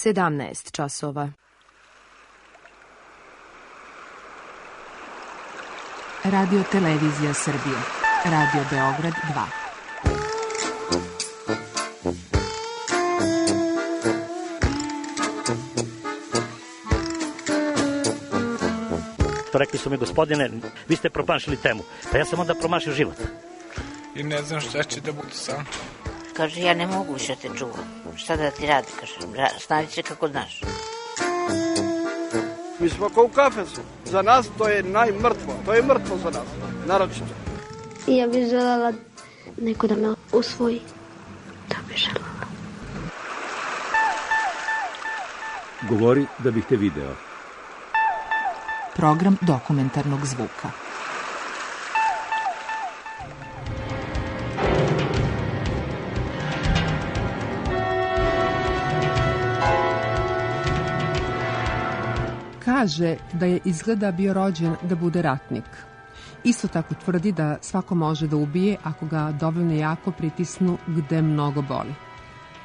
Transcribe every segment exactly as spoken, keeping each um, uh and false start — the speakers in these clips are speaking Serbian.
sedamnaest časova. Radio Televizija Srbije. Radio Beograd dva. To rekli su mi, gospodine, vi ste promašili temu. Pa ja sam onda promašio život. I ne znam šta će da bude sam. Kaže, ja ne mogu više te čuvam. Šta da ti radi, kaže, snađi se kako znaš. Mi smo kao u kafesu. Za nas to je najmrtvo. To je mrtvo za nas, naročito. Ja bih želela neko da me usvoji. To bih želela. Govori da bih te video. Program dokumentarnog zvuka. Kaže da je izgleda bio rođen da bude ratnik. Isto tako tvrdi da svako može da ubije ako ga dovoljno jako pritisnu gde mnogo boli.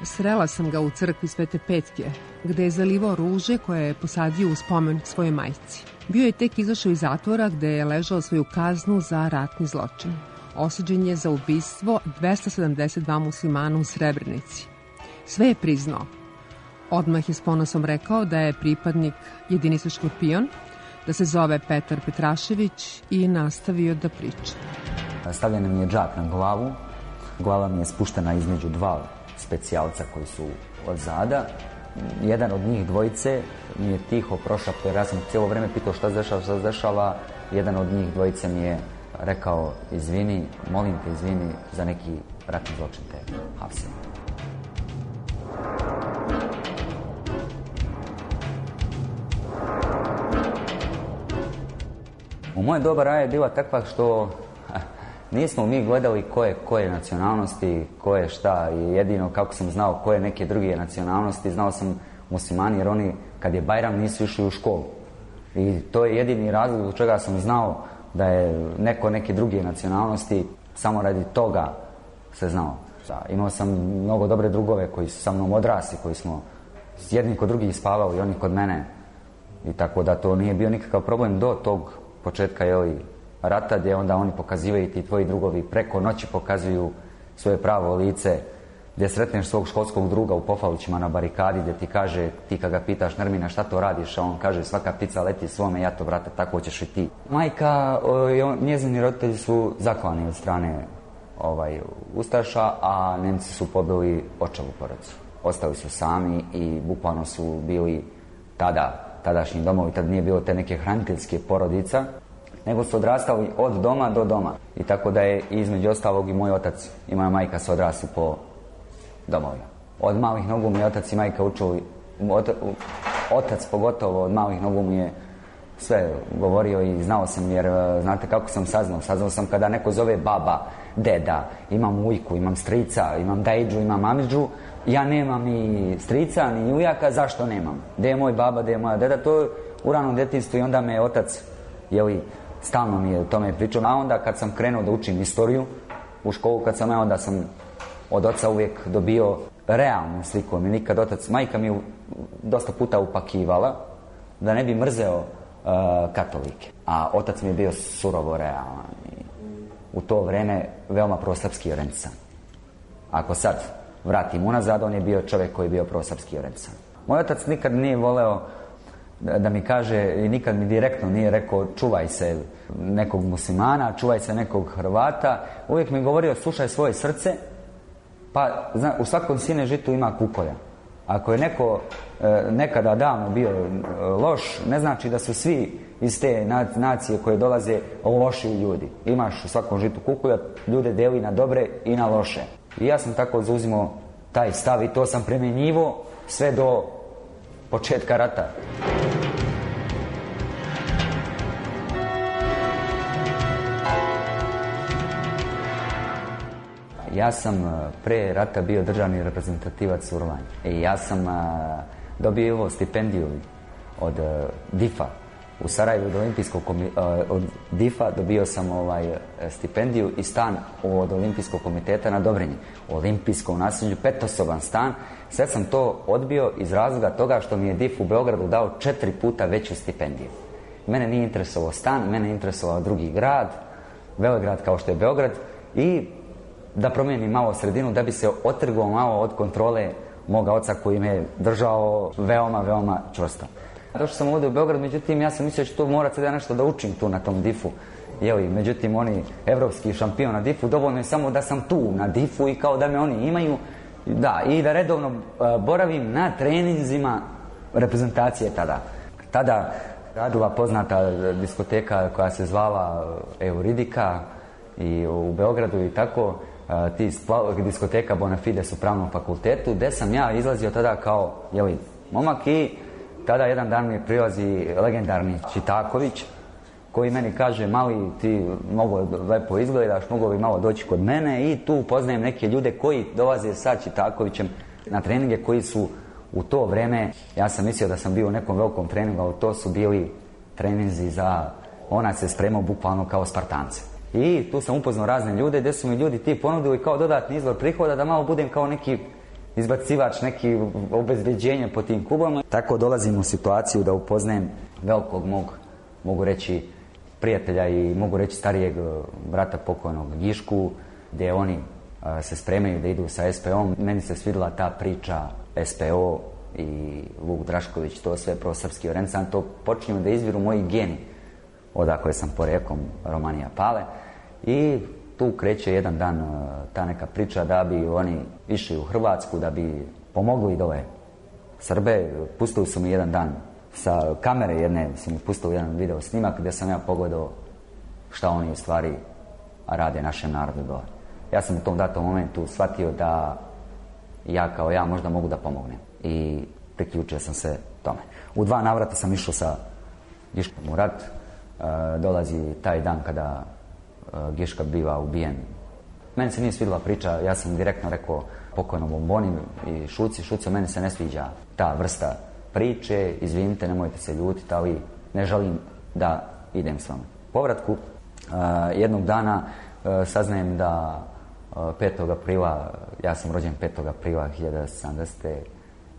Srela sam ga u crkvi Svete Petke, gde je zalivao ruže koje je posadio u spomen svoje majci. Bio je tek izašao iz zatvora gde je ležao svoju kaznu za ratni zločin. Osuđen je za ubistvo dvesta sedamdeset dva muslimana u Srebrenici. Sve je priznao. Odmah je s ponosom rekao da je pripadnik jedinice Škorpion, da se zove Petar Petrašević i nastavio da priča. Stavljen mi je džak na glavu, glava mi je spuštena između dva specijalca koji su od zada. Jedan od njih dvojice mi je tiho prošapao, jer ja sam cijelo vreme pitao šta se dešava, šta se dešava. Jedan od njih dvojice mi je rekao, izvini, molim te, izvini za neki ratni zločin te hapse. U moje doba raja je bila takva što nismo mi gledali ko je koje nacionalnosti, ko je šta, i jedino kako sam znao koje neke druge nacionalnosti, znao sam muslimani, jer oni kad je Bajram nisu išli u školu. I to je jedini razlog zbog čega sam znao da je neko neke druge nacionalnosti, samo radi toga se znao. Imao sam mnogo dobre drugove koji su sa mnom odrasli, koji smo jedni kod drugih spavali i oni kod mene. I tako da to nije bio nikakav problem do tog početka je rata, gdje onda oni pokazivaju, ti tvoji drugovi preko noći pokazuju svoje pravo lice, gdje sretneš svog školskog druga u Pofalićima na barikadi, gdje ti kaže, ti kad ga pitaš, Nermina, šta to radiš, a on kaže, svaka ptica leti svome, ja to, brate, tako ćeš i ti. Majka, njezini roditelji su zaklani od strane ovaj, Ustaša, a Nemci su pobili očevu porodicu. Ostali su sami i bukvalno su bili tada tadašnji domovi, tad nije bilo te neke hraniteljske porodica, nego su odrastali od doma do doma. I tako da je između ostalog i moj otac i moja majka su odrasli po domovima. Od malih nogu mi je otac i majka učili, otac pogotovo od malih nogu mi je sve govorio i znao sam, jer znate kako sam saznao. Saznao sam kada neko zove baba, deda, imam ujku, imam strica, imam dajđu, imam amidžu. Ja nemam ni strica, ni ujaka, zašto nemam? Gde je moj baba, gde je moja deda? To je u ranom djetinjstvu i onda me otac, jeli, stalno mi je o tome pričao. A onda kad sam krenuo da učim istoriju u školu, kad sam ja, onda sam od oca uvijek dobio realnu sliku. Mi nikad otac, majka mi dosta puta upakivala da ne bi mrzeo uh, katolike. A otac mi je bio surovo realan. I u to vreme veoma prosrpski orencan. Ako sad vratim unazad, on je bio čovjek koji je bio prosrpski orencan. Moj otac nikad nije voleo da, da mi kaže, i nikad mi direktno nije rekao čuvaj se nekog muslimana, čuvaj se nekog Hrvata. Uvijek mi govorio slušaj svoje srce, pa zna, u svakom sine žitu ima kukolja. Ako je neko e, nekada davno bio e, loš, ne znači da su svi iz te nacije koje dolaze loši ljudi. Imaš u svakom žitu kukolja, ljude deli na dobre i na loše. I ja sam tako zauzimao taj stav i to sam primjenjivao sve do početka rata. Ja sam pre rata bio državni reprezentativac u Rvanji. I ja sam dobio stipendiju od D I F-a u Sarajevu od olimpijskog od D I F-a dobio sam ovaj, stipendiju i stan od olimpijskog komiteta na Dobrinji. U olimpijskom naselju, petosoban stan. Sve sam to odbio iz razloga toga što mi je D I F u Beogradu dao četiri puta veću stipendiju. Mene nije interesovao stan, mene je interesovao drugi grad, velegrad kao što je Beograd, i da promijenim malo sredinu, da bi se otrgao malo od kontrole moga oca koji me je držao veoma, veoma čvrsto. Došao sam ovdje u Beograd, međutim ja sam mislio da ću to morati da nešto da učim tu na tom D I F-u. Jeli, međutim oni, evropski šampion na D I F-u, dovoljno je samo da sam tu na D I F-u i kao da me oni imaju, da, i da redovno uh, boravim na treninzima reprezentacije tada. Tada radila poznata diskoteka koja se zvala Euridika i u Beogradu i tako, uh, ti diskoteka Bonafides u pravnom fakultetu, gde sam ja izlazio tada kao, jeli, momak, i tada jedan dan mi prilazi legendarni Čitaković, koji meni kaže, mali, ti mnogo lepo izgledaš, mogo bi malo doći kod mene, i tu poznajem neke ljude koji dolaze sa Čitakovićem na treninge, koji su u to vreme, ja sam mislio da sam bio u nekom velikom treningu, ali to su bili treninzi za, ona se spremao bukvalno kao Spartance. I tu sam upoznao razne ljude, gdje su mi ljudi ti ponudili kao dodatni izvor prihoda da malo budem kao neki izbacivač, neki obezbeđenje po tim klubama. Tako dolazim u situaciju da upoznajem velikog mog, mogu reći, prijatelja i mogu reći starijeg brata pokojnog Gišku, gdje oni a, se spremaju da idu sa S P O-om. Meni se svidjela ta priča S P O i Vuk Drašković, to sve prosrpski orencan, to počinju da izviru moji geni, odakle sam poreklom, Romanija Pale. I tu kreće jedan dan ta neka priča da bi oni išli u Hrvatsku, da bi pomogli dole Srbe. Pustili su mi jedan dan sa kamere jedne, su mi pustili jedan video snimak gdje sam ja pogledao šta oni u stvari rade našem narodu dole. Ja sam u tom datom momentu shvatio da ja kao ja možda mogu da pomognem i priključio sam se tome. U dva navrata sam išao sa Giškom u rat. E, dolazi taj dan kada Giška biva ubijen. Meni se nije svidjela priča, ja sam direktno rekao pokojnom Bomboni i Šuci, Šuco, meni se ne sviđa ta vrsta priče, izvinite, nemojte se ljutiti, ali ne želim da idem s vama. Povratku, uh, jednog dana uh, saznajem da uh, petog aprila, ja sam rođen petog aprila hiljadu devetsto sedamdesete.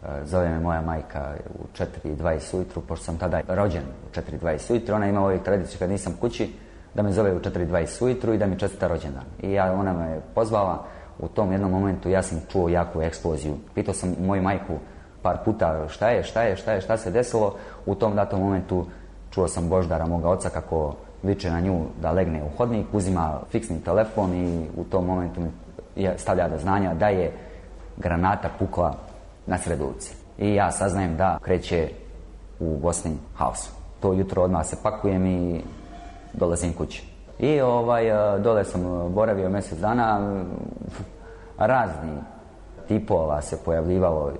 Uh, zove me moja majka u četiri i dvadeset ujutru, pošto sam tada rođen u četiri i dvadeset ujutru, ona ima ovih tradiciju kad nisam kući, da me zove u četiri i dvadeset ujutru i da mi čestita rođendan. I ja, ona me pozvala, u tom jednom momentu ja sam čuo jaku eksploziju. Pitao sam moju majku par puta šta je, šta je, šta je, šta se desilo. U tom datom momentu čuo sam Boždara, moga oca, kako viče na nju da legne u hodnik, uzima fiksni telefon i u tom momentu mi stavlja do znanja da je granata pukla na sred ulici. I ja saznajem da kreće u Bosni haos. To jutro odmah se pakujem i dolazim kući. I ovaj, dole sam boravio mjesec dana, razni tipova se pojavljivalo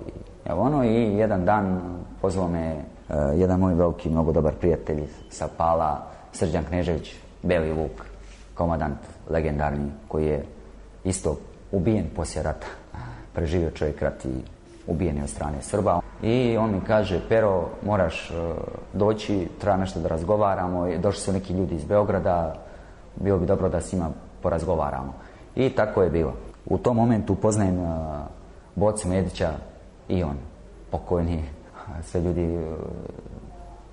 evo ono, i jedan dan pozvao me uh, jedan moj veliki, mnogo dobar prijatelj sa Pala, Srđan Knežević, Beli Vuk, komandant legendarni, koji je isto ubijen poslije rata. Preživio čovjek rat i ubijen je od strane Srba. I on mi kaže, Pero, moraš uh, doći, treba nešto da razgovaramo. Došli su neki ljudi iz Beograda, bilo bi dobro da s njima porazgovaramo. I tako je bilo. U tom momentu upoznajem uh, Bocu Medića i on, pokojni, sve ljudi uh,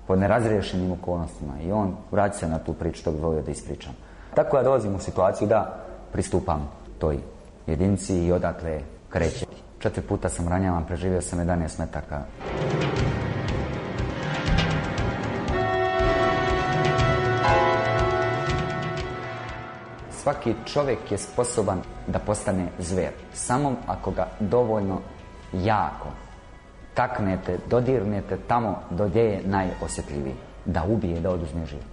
pod nerazriješenim okolnostima. I on vraća se na tu priču, što bi volio da ispričam. Tako ja dolazim u situaciju da pristupam toj jedinici i odatle kreće. Četiri puta sam ranjavan, preživio sam jedanaest metaka. Svaki čovjek je sposoban da postane zver, samo ako ga dovoljno jako taknete, dodirnete tamo gdje je najosjetljiviji, da ubije, da oduzme život.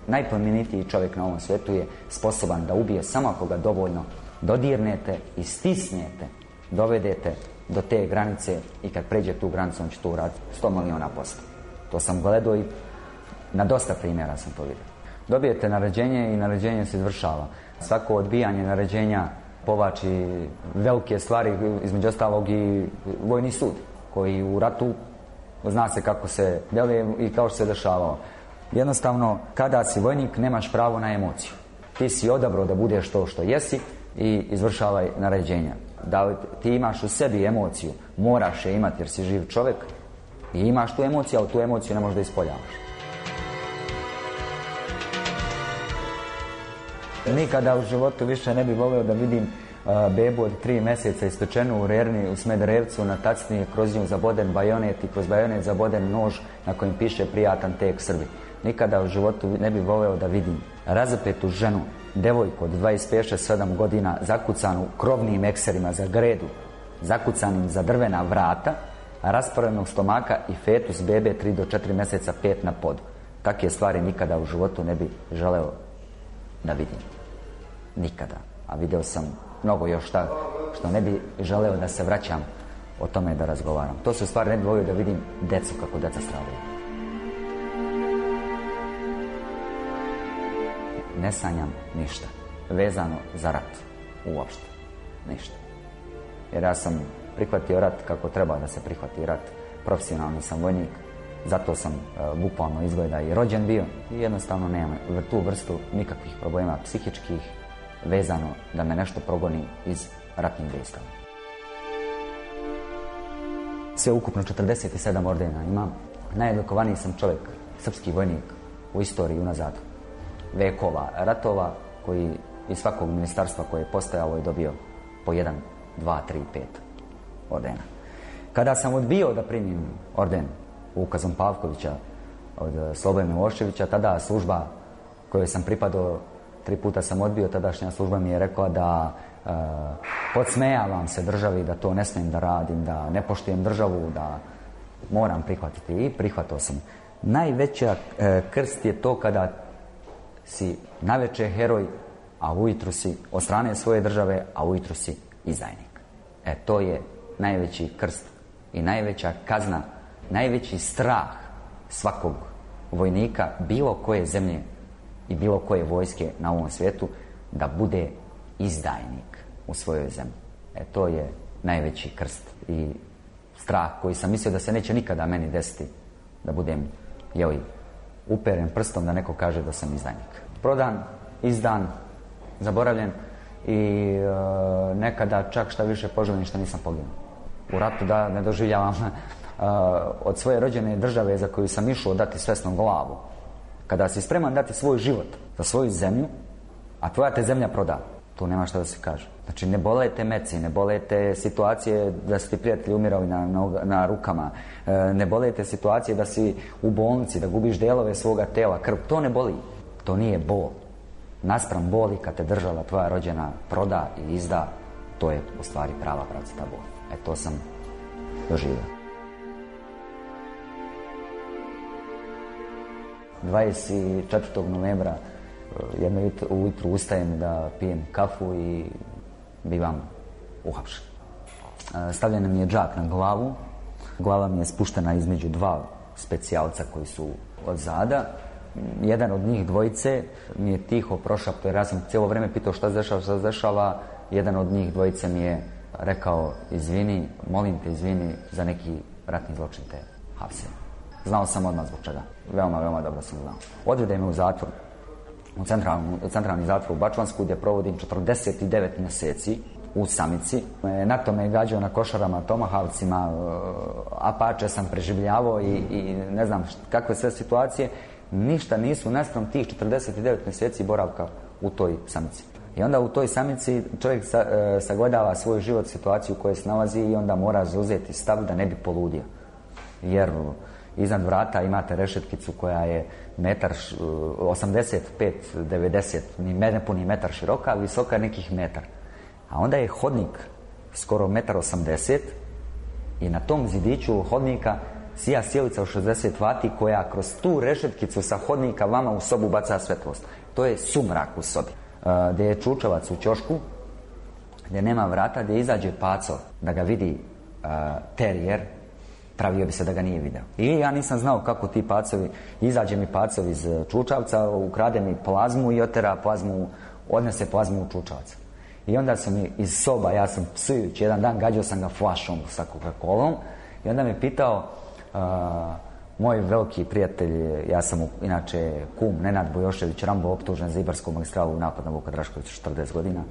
Najplemenitiji čovjek na ovom svijetu je sposoban da ubije samo ako ga dovoljno dodirnete i stisnete, dovedete do te granice i kad pređe tu granicu on će to uraditi sto miliona posto. To sam gledao i na dosta primjera sam to vidio. Dobijete naređenje i naređenje se izvršava. Svako odbijanje naređenja povlači velike stvari, između ostalog i vojni sud, koji u ratu zna se kako se deluje i kao što se dešavao. Jednostavno, kada si vojnik, nemaš pravo na emociju. Ti si odabrao da budeš to što jesi i izvršavaj naređenja. Da ti imaš u sebi emociju, moraš je imati jer si živ čovjek i imaš tu emociju, ali tu emociju ne možeš da ispoljavaš. Nikada u životu više ne bih volio da vidim uh, bebu od tri mjeseca ispečenu u Rerni u Smederevcu, na tacni je kroz nju zaboden bajonet i kroz bajonet zaboden nož na kojem piše prijatan tek Srbi. Nikada u životu ne bih volio da vidim razapetu ženu, devojku od dvadeset pet sedam godina, zakucanu krovnim ekserima za gredu, zakucanim za drvena vrata, rasporenog stomaka i fetus bebe tri do četiri mjeseca pet na podu. Takve stvari nikada u životu ne bih želeo da vidim. Nikada. A video sam mnogo još šta što ne bi želeo da se vraćam o tome da razgovaram. To su stvari ne bi volio da vidim decu kako deca stradaju. Ne sanjam ništa vezano za rat. Uopšte. Ništa. Jer ja sam prihvatio rat kako treba da se prihvati rat. Profesionalni sam vojnik. Zato sam e, bukvalno izgleda i rođen bio. I jednostavno nemam tu vrstu nikakvih problema psihičkih vezano da me nešto progoni iz ratnih dejstava. Sve ukupno četrdeset sedam ordena imam. Najodlikovaniji sam čovjek, srpski vojnik u istoriji unazad vekova ratova, koji iz svakog ministarstva koje je postojalo je dobio po jedan, dva, tri, pet ordena. Kada sam odbio da primim orden ukazom Pavkovića od Slobodana Miloševića, tada služba kojoj sam pripadao, tri puta sam odbio, tadašnja služba mi je rekla da e, podsmejavam se državi, da to ne smijem da radim, da ne poštujem državu, da moram prihvatiti. I prihvatio sam. Najveća e, krst je to kada si naveče heroj, a ujutru si od strane svoje države, a ujutru si izdajnik. E, to je najveći krst i najveća kazna, najveći strah svakog vojnika bilo koje zemlje i bilo koje vojske na ovom svijetu, da bude izdajnik u svojoj zemlji. E, to je najveći krst i strah koji sam mislio da se neće nikada meni desiti, da budem, jeli, uperen prstom da neko kaže da sam izdajnik. Prodan, izdan, zaboravljen i e, nekada čak šta više poželim što nisam poginuo. U ratu da ne doživljavam e, od svoje rođene države za koju sam išao dati svesno glavu. Kada si spreman dati svoj život za svoju zemlju, a tvoja te zemlja proda, tu nema šta da se kaže. Znači, ne bole te meci, ne bole te situacije da su ti prijatelji umirali na, na, na rukama, e, ne bole te situacije da si u bolnici, da gubiš delove svoga tela, krv. To ne boli. To nije bol. Naspram boli kad te država tvoja rođena proda i izda, to je u stvari prava pravcata bol. E, to sam doživio. dvadeset četvrtog novembra jedno ujutru ustajem da pijem kafu i bivam uhapšen. Stavljen mi je džak na glavu, glava mi je spuštena između dva specijalca koji su od zada. Jedan od njih dvojice mi je tiho prošapto, jer ja sam cijelo vrijeme pitao šta se dešava, šta se dešava. Jedan od njih dvojice mi je rekao, izvini, molim te, izvini, za neki ratni zločin te hapsem. Znao sam odmah zbog čega. Veoma, veoma dobro sam znao. Odvede me u zatvor, u centralni, centralni zatvor u Bačvansku, gdje provodim četrdeset devet mjeseci u samici. NATO me je gađao na košarama, tomahavcima, Apače sam preživljavao i, i ne znam kakve sve situacije. Ništa nisu naspram tih četrdeset devet mjeseci boravka u toj samici. I onda u toj samici čovjek sa, e, sagledava svoj život, situaciju u kojoj se nalazi i onda mora zauzeti stav da ne bi poludio. Jer iznad vrata imate rešetkicu koja je metar, osamdeset pet devedeset, ni nepuni metar široka, visoka nekih metar. A onda je hodnik skoro metar osamdeset i na tom zidiću hodnika sija sjelica u šezdeset vati koja kroz tu rešetkicu sa hodnika vama u sobu baca svetlost. To je sumrak u sobi. Uh, gdje je čučavac u ćošku, gdje nema vrata, gdje izađe paco da ga vidi uh, terijer, pravio bi se da ga nije video. I ja nisam znao kako ti pacovi, izađe mi pacov iz čučavca, ukrade mi plazmu i otera plazmu, odnese plazmu u čučavac. I onda su mi iz soba, ja sam psujući, jedan dan gađao sam ga flašom sa Coca-Colom i onda me pitao, uh, Moj veliki prijatelj, ja sam inače kum Nenad Bojošević Rambo, optužen za Ibarsku magistralu u napad na Vuka Draškovića četrdeset godina.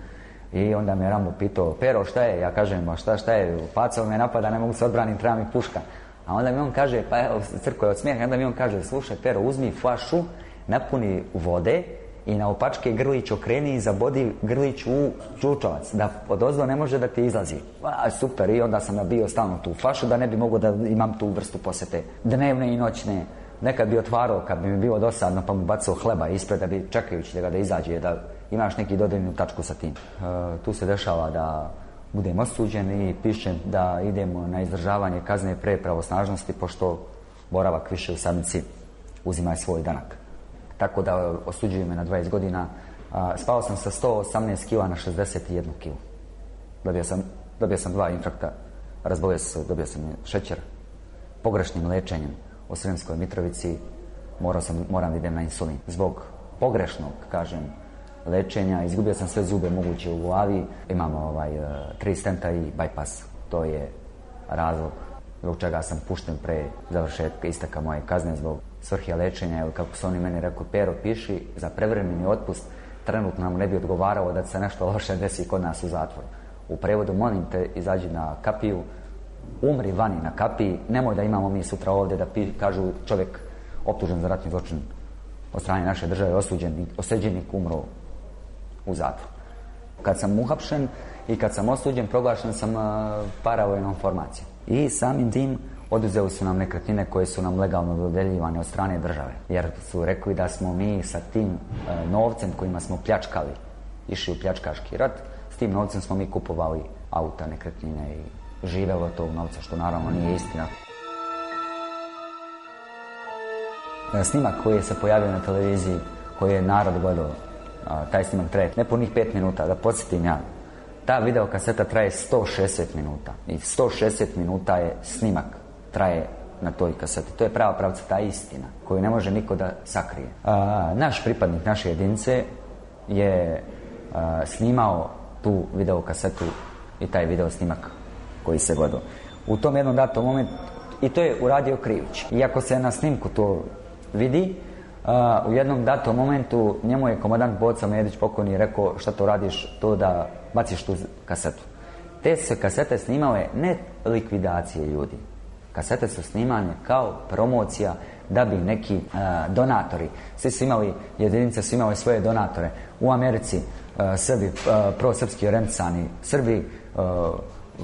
I onda me Rambo pitao, Pero, šta je? Ja kažem, ma šta, šta je? Pacao me napada, ne mogu se odbraniti, treba mi puška. A onda mi on kaže, pa evo, crko je od smijeha, onda mi on kaže, slušaj, Pero, uzmi flašu, napuni vode i na opačke grlić okreni i zabodi grlić u čučavac, da odozdo ne može da ti izlazi. A, super, i onda sam nabio stalno tu flašu da ne bi mogao da imam tu vrstu posete. Dnevne i noćne. Nekad bi otvarao, kad bi mi bilo dosadno, pa mu bacao hleba ispred da bi čekajući da ga da izađe, da imaš neki dodirnu tačku sa tim. E, tu se dešava da budem osuđen i pišem da idemo na izdržavanje kazne pre pravosnažnosti, pošto boravak više u samnici uzima svoj danak. Tako da osuđuju me na dvadeset godina. A, spao sam sa sto osamnaest kila na šezdeset jedan kila. Dobio sam, dobio sam dva infrakta, razbolio se, dobio sam šećer. Pogrešnim lečenjem u Sremskoj Mitrovici morao sam, moram da idem na insulin. Zbog pogrešnog, kažem, lečenja, izgubio sam sve zube moguće u glavi. Imamo ovaj, tri stenta i bypass. To je razlog zbog čega sam pušten pre završetka isteka moje kazne zbog svrhe lečenja. Jer kako su oni meni rekli, Pero, piši za prevremeni otpust, trenutno nam ne bi odgovaralo da se nešto loše desi kod nas u zatvoru. U prevodu, molim te, izađi na kapiju, umri vani na kapiji, nemoj da imamo mi sutra ovdje da pi, kažu čovjek optužen za ratni zločin od strane naše države, osuđen, osuđenik umro u zatvoru. Kad sam uhapšen i kad sam osuđen, proglašen sam uh, paravojnom formacijom. I samim tim oduzeli su nam nekretnine koje su nam legalno dodeljivane od strane države. Jer su rekli da smo mi sa tim uh, novcem kojima smo pljačkali, išli u pljačkaški rat, s tim novcem smo mi kupovali auta, nekretnine i živelo od tog novca, što naravno nije istina. Snimak koji se pojavio na televiziji, koji je narod gledao, taj snimak traje nepunih pet minuta, da podsjetim ja. Ta videokaseta traje sto šezdeset minuta i sto šezdeset minuta je snimak, traje na toj kaseti. To je prava pravca, ta istina koju ne može niko da sakrije. A, naš pripadnik naše jedinice je a, snimao tu videokasetu i taj video snimak koji se gledao. U tom jednom datom momentu, i to je uradio Krivić. Iako se na snimku to vidi, uh, u jednom datom momentu njemu je komandant Boca Medić pokojni rekao, šta to radiš, to da baciš tu kasetu. Te se kasete snimale ne likvidacije ljudi. Kasete su snimane kao promocija da bi neki uh, donatori, svi su imali, jedinice su imali svoje donatore. U Americi uh, Srbi, uh, prosrpski orijentisani Srbi, uh,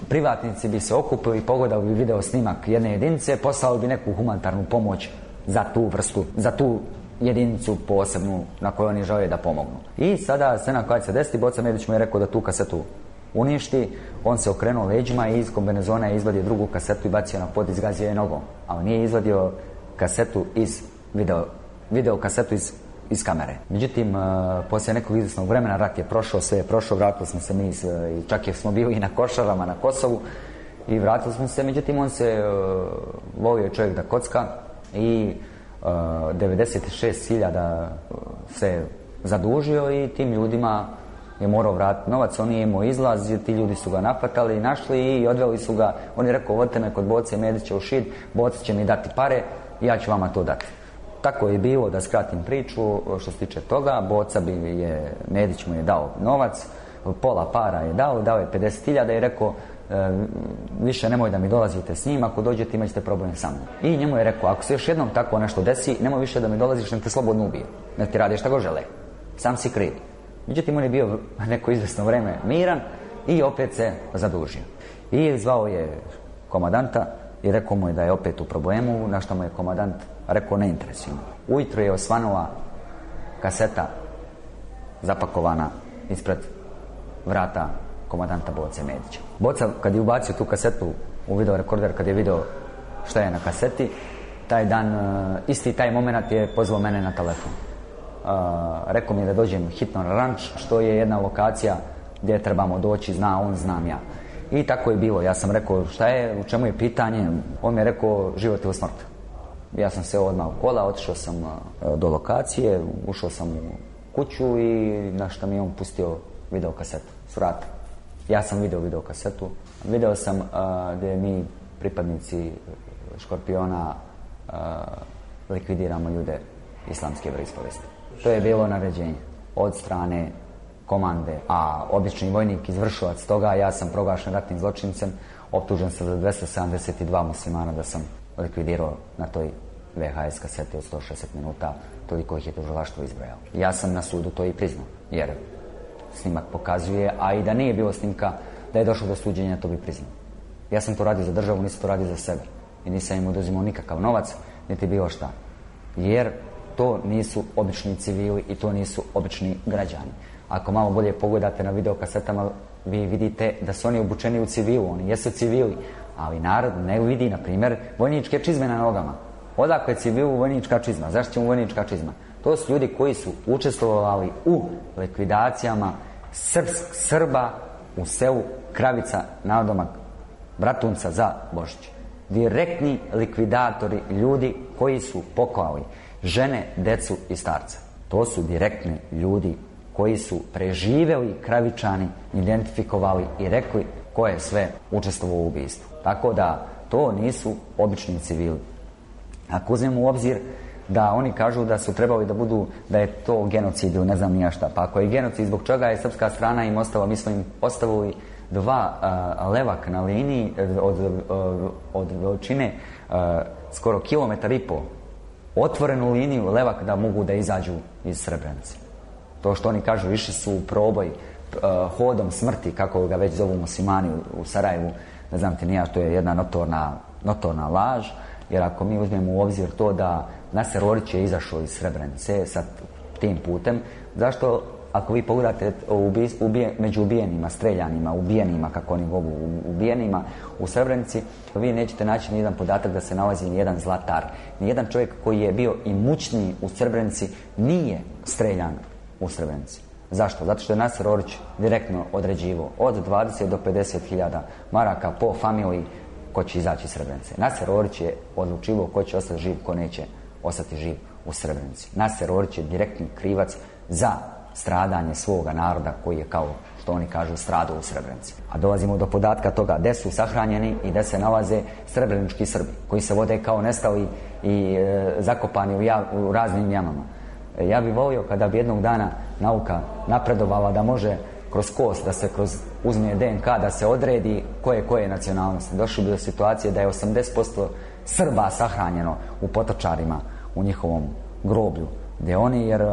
privatnici bi se okupili, pogledali bi video snimak jedne jedinice, poslali bi neku humanitarnu pomoć za tu vrstu, za tu jedinicu posebnu na kojoj oni žele da pomognu. I sada scena koja se desi, Boca Medić mu je rekao da tu kasetu uništi, on se okrenuo leđima i iz kombinezona je izvadio drugu kasetu i bacio na pod, izgazio je nogom. A on nije izvadio kasetu iz video, video kasetu iz, iz kamere. Međutim, uh, poslije nekog izvjesnog vremena rat je prošao, sve je prošao, vratili smo se mi, i čak je smo bili i na Košarama, na Kosovu i vratili smo se, međutim on se uh, volio čovjek da kocka i uh, devedeset šest hiljada se zadužio i tim ljudima je morao vratiti novac. On je imao izlaz, ti ljudi su ga napatali, našli i odveli su ga. On je rekao, vodite me kod Boce Medića u Šid, Boca će mi dati pare i ja ću vama to dati. Tako je bilo, da skratim priču, što se tiče toga. Boca bi je, Medić mu je dao novac, pola para je dao, dao je pedeset hiljada i rekao, e, više nemoj da mi dolazite s njim, ako dođete imat ćete problem sa mnom. I njemu je rekao, ako se još jednom tako nešto desi, nemoj više da mi dolaziš, nek te slobodno ubije, nek ti radi šta go žele, sam si kriv. Međutim, on je bio neko izvesno vreme miran i opet se zadužio. I zvao je komandanta i rekao mu je da je opet u problemu, na što mu je komandant rekao, ne interesuje. Ujutro je osvanula kaseta zapakovana ispred vrata komandanta Boce Medića. Boca, kad je ubacio tu kasetu u video rekorder, kad je video šta je na kaseti, taj dan, isti taj moment je pozvao mene na telefon. Uh, rekao mi je da dođem hitno na ranč, što je jedna lokacija gdje trebamo doći, zna on, znam ja. I tako je bilo. Ja sam rekao, šta je, u čemu je pitanje? On mi je rekao, život ili smrt. Ja sam se odmah u kola, otišao sam uh, do lokacije, ušao sam u kuću i na što mi je on pustio video kasetu s vrata. Ja sam video video kasetu. Video sam uh, gdje mi, pripadnici Škorpiona, likvidiramo ljude islamske vjeroispovesti. To je bilo naređenje od strane komande, a obični vojnik izvršilac toga, ja sam proglašen ratnim zločincem, optužen sam za dvesta sedamdeset dva muslimana da sam likvidirao na toj ve ha es kaseti od sto šezdeset minuta, toliko ih je tužilaštvo izbrojalo. Ja sam na sudu to i priznao, jer snimak pokazuje, a i da nije bilo snimka, da je došlo do suđenja, to bi priznao. Ja sam to radio za državu, nisam to radio za sebe. I nisam im oduzimao nikakav novac, niti bilo šta. Jer to nisu obični civili i to nisu obični građani. Ako malo bolje pogledate na videokasetama, vi vidite da su oni obučeni u civilu, oni jesu civili, ali narod ne vidi, na primjer, vojničke čizme na nogama. Odakle je civilu vojnička čizma? Zašto će mu vojnička čizma? To su ljudi koji su učestvovali u likvidacijama Srbs, Srba u selu Kravica, nadomak Bratunca za Božić. Direktni likvidatori, ljudi koji su poklali žene, decu i starca. To su direktni ljudi koji su preživjeli Kravičani, identifikovali i rekli ko je sve učestvovao u ubistvu. Tako da to nisu obični civili. Ako uzmemo u obzir da oni kažu da su trebali da budu, da je to genocid ili ne znam nija šta, pa ako je genocid, zbog čega je srpska strana im ostala, mi smo im ostavili dva uh, levak na liniji od, uh, od veličine uh, skoro kilometar i pol, otvorenu liniju levak da mogu da izađu iz Srebrenice. To što oni kažu, išli su u proboj uh, hodom smrti, kako ga već zovu muslimani u, u Sarajevu, ne znam ti nija, to je jedna notorna, notorna laž, jer ako mi uzmemo u obzir to da Naser Orić je izašao iz Srebrenice sa tim putem, zašto ako vi pogledate ubi, ubije, među ubijenima, streljanima, ubijenima, kako oni govu, ubijenima u Srebrenici, vi nećete naći nijedan podatak da se nalazi nijedan zlatar. Nijedan čovjek koji je bio imućniji u Srebrenici nije streljan u Srebrenici. Zašto? Zato što je Naser Orić direktno određivao od dvadeset do pedeset hiljada maraka po familiji ko će izaći iz Srebrenice. Naser Orić je odlučivao ko će ostati živ, ko neće ostati živ u Srebrenici. Naser Orić je direktni krivac za stradanje svoga naroda koji je, kao što oni kažu, stradao u Srebrenici. A dolazimo do podatka toga gde su sahranjeni i gde se nalaze srebrenički Srbi, koji se vode kao nestali i e, zakopani u, jav, u raznim jamama. E, ja bih volio kada bi jednog dana nauka napredovala da može kroz kost, da se kroz uzme de en ka, da se odredi koje koje nacionalnosti. Došli bi do situacije da je osamdeset posto Srba sahranjeno u Potočarima, u njihovom groblju. Gdje oni, jer uh,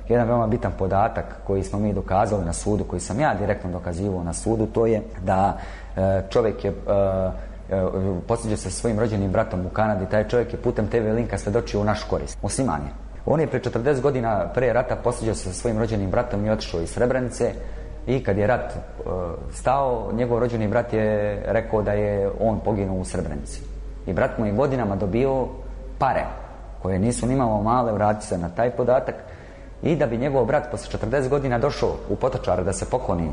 jedan veoma bitan podatak koji smo mi dokazali na sudu, koji sam ja direktno dokazivao na sudu, to je da uh, čovjek je uh, uh, posjeđao se sa svojim rođenim bratom u Kanadi. Taj čovjek je putem te ve linka svedočio u naš korist. Musliman je. On je pre četrdeset godina pre rata posjeđao se sa svojim rođenim bratom i otišao iz Srebrenice. I kad je rat uh, stao, njegov rođeni brat je rekao da je on poginuo u Srebrenici. I brat mu je godinama dobio pare koje nisu nimalo male, vrati se na taj podatak, i da bi njegov brat posle četrdeset godina došao u Potočar da se pokloni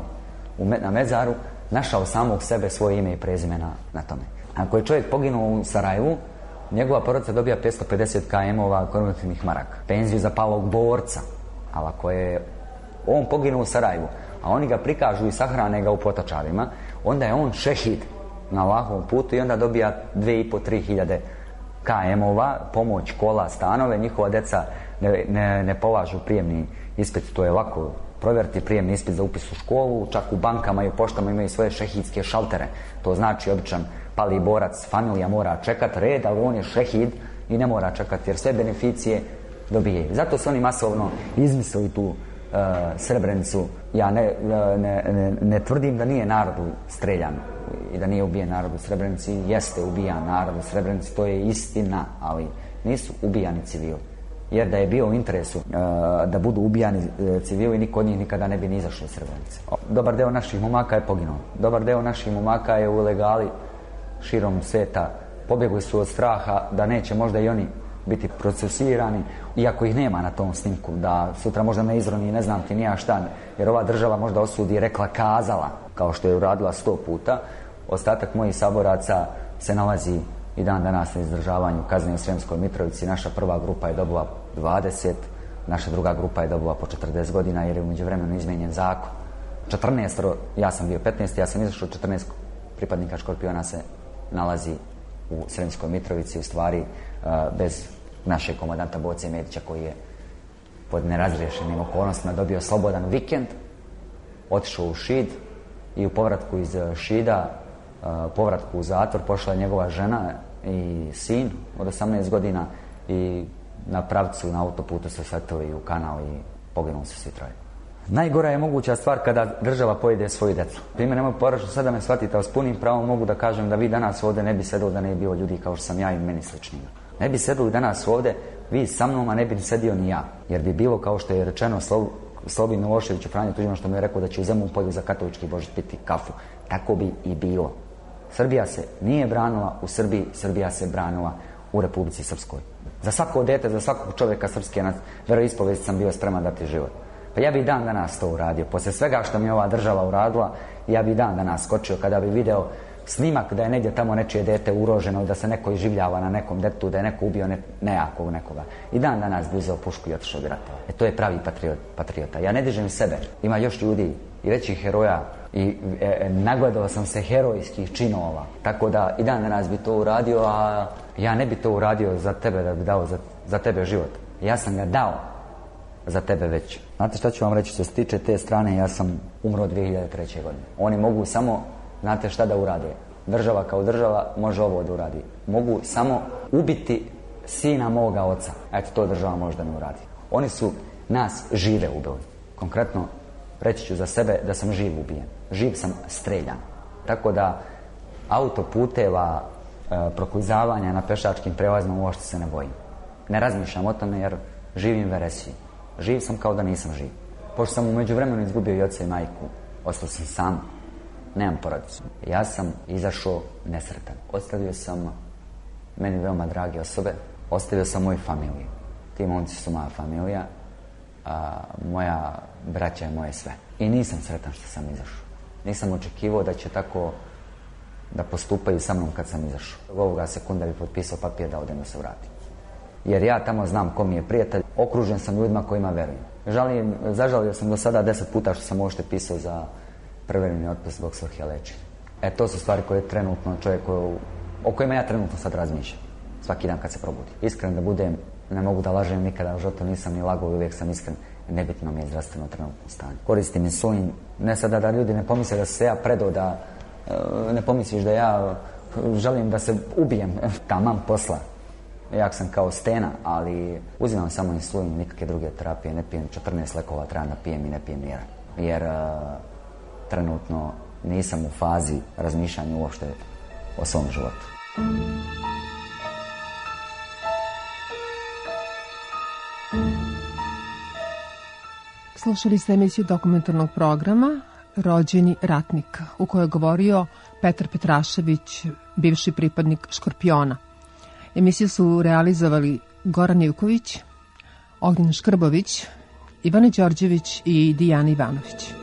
u me, na mezaru, našao samog sebe, svoje ime i prezime na, na tome. Ako je čovjek poginuo u Sarajevu, njegova porodica dobija petsto pedeset km-ova konvertivnih maraka, penziju za palog borca. Ali ako je on poginuo u Sarajevu, a oni ga prikažu i sahrane ga u Potočarima, onda je on šehid na Allahovom putu i onda dobija dve i po, tri hiljade km-ova, pomoć, kola, stanove. Njihova deca ne, ne, ne polažu prijemni ispit, to je lako provjeriti, prijemni ispit za upis u školu, čak u bankama i u poštama imaju svoje šehidske šaltere. To znači običan pali borac, familija mora čekati red, ali on je šehid i ne mora čekati jer sve beneficije dobije. Zato su oni masovno izmislili tu uh, Srebrenicu. Ja ne, ne, ne, ne tvrdim da nije narodu streljan i da nije ubijen narod u Srebrenici. Jeste ubijan narod u Srebrenici, to je istina, ali nisu ubijani civili. Jer da je bio u interesu uh, da budu ubijani uh, civili, niko od njih nikada ne bi ni izašao iz Srebrenice. Dobar deo naših momaka je poginuo. Dobar deo naših momaka je u ilegali širom sveta. Pobjegli su od straha da neće možda i oni biti procesirani, iako ih nema na tom snimku, da sutra možda ne izroni, ne znam ti nija šta, jer ova država možda osudi, rekla, kazala, kao što je uradila sto puta. Ostatak mojih saboraca se nalazi i dan danas na izdržavanju kazne u Sremskoj Mitrovici. Naša prva grupa je dobila dvadeset, naša druga grupa je dobila po četrdeset godina, jer je u međuvremenu izmijenjen zakon. četrnaest, ja sam bio petnaest, ja sam izašao, četrnaest pripadnika Škorpiona se nalazi u Sremskoj Mitrovici. U stvari bez našeg komandanta Boce Medića koji je pod nerazriješenim okolnostima dobio slobodan vikend, otišao u Šid i u povratku iz Šida, povratku u zatvor, pošla je njegova žena i sin od osamnaest godina i na pravcu na autoputu se sletili u kanal i poginuli su svi troje. Najgora je moguća stvar kada država pojede svoju djecu. Primjer, nemoj poražno sad da me shvatite, ali s punim pravom mogu da kažem da vi danas ovdje ne bi sedeli da ne bi bilo ljudi kao što sam ja i meni sličnima. Ne bi sedeli danas ovdje vi sa mnom, a ne bi sedio ni ja. Jer bi bilo kao što je rečeno Slo, Slobi Miloševiću Franjo Tuđmanu što mi je rekao da će u Zemun polju za katolički Božić piti kafu. Tako bi i bilo. Srbija se nije branila u Srbiji, Srbija se branila u Republici Srpskoj. Za svako dete, za svakog čovjeka srpske veroispovesti sam bio spreman dati život. Pa ja bi dan danas to uradio. Poslije svega što mi je ova država uradila, ja bi dan danas skočio kada bi video snimak da je negdje tamo nečije dete ugroženo i da se neko iživljava na nekom detetu, da je neko ubio ne, nejakog nekoga. I dan danas bi uzeo pušku i otišao bi ratovao. E to je pravi patriot, patriota. Ja ne dižem sebe. Ima još ljudi i većih heroja i e, nagledao sam se herojskih činova. Tako da i dan danas bi to uradio, a ja ne bi to uradio za tebe da bi dao za, za tebe život. Ja sam ga dao za tebe već. Znate šta ću vam reći, što se tiče te strane, ja sam umro dvije hiljade treće. godine. Oni mogu samo, znate šta da urade? Država kao država može ovo da uradi. Mogu samo ubiti sina moga oca. Eto, to država može da ne uradi. Oni su nas žive ubili. Konkretno, reći ću za sebe da sam živ ubijen. Živ sam streljan. Tako da autoputeva, e, proklizavanja na pešačkim prelazima uopšte se ne bojim. Ne razmišljam o tome jer živim veresiji. Živ sam kao da nisam živ. Pošto sam u međuvremenu izgubio i oca i majku, ostao sam sam, nemam porodicu. Ja sam izašao nesretan. Ostavio sam meni veoma drage osobe, ostavio sam moju familiju. Ti momci su moja familija, a moja braća je moje sve. I nisam sretan što sam izašao. Nisam očekivao da će tako da postupaju sa mnom kad sam izašao. Ovoga sekunda bi potpisao papir da odem da se vratim. Jer ja tamo znam ko mi je prijatelj, okružen sam ljudima kojima verujem. Žalim, zažalio sam do sada deset puta što sam uopšte pisao za prevremeni otpust zbog svrhe lečenja. E, to su stvari koje trenutno čovjek, koju, o kojima ja trenutno sad razmišljam. Svaki dan kad se probudi. Iskren da budem, ne mogu da lažem nikada u životu, nisam ni lagao i uvijek sam iskren. Nebitno mi je zdravstveno trenutno stanje. Koristim insulin, ne sada da ljudi ne pomisle da se ja predao, da ne pomisliš da ja želim da se ubijem, tamam posla. Jak sam kao stena, ali uzimam samo insulin, nikakve druge terapije, ne pijem četrnaest lekova, treba da pijem i ne pijem nijedan. Jer uh, trenutno nisam u fazi razmišljanja uopšte o svom životu. Slušali ste emisiju dokumentarnog programa Rođeni ratnik, u kojoj je govorio Petar Petrašević, bivši pripadnik Škorpiona. Emisiju su realizovali Goran Ivković, Ognjen Škrbović, Ivana Đorđević i Dijana Ivanović.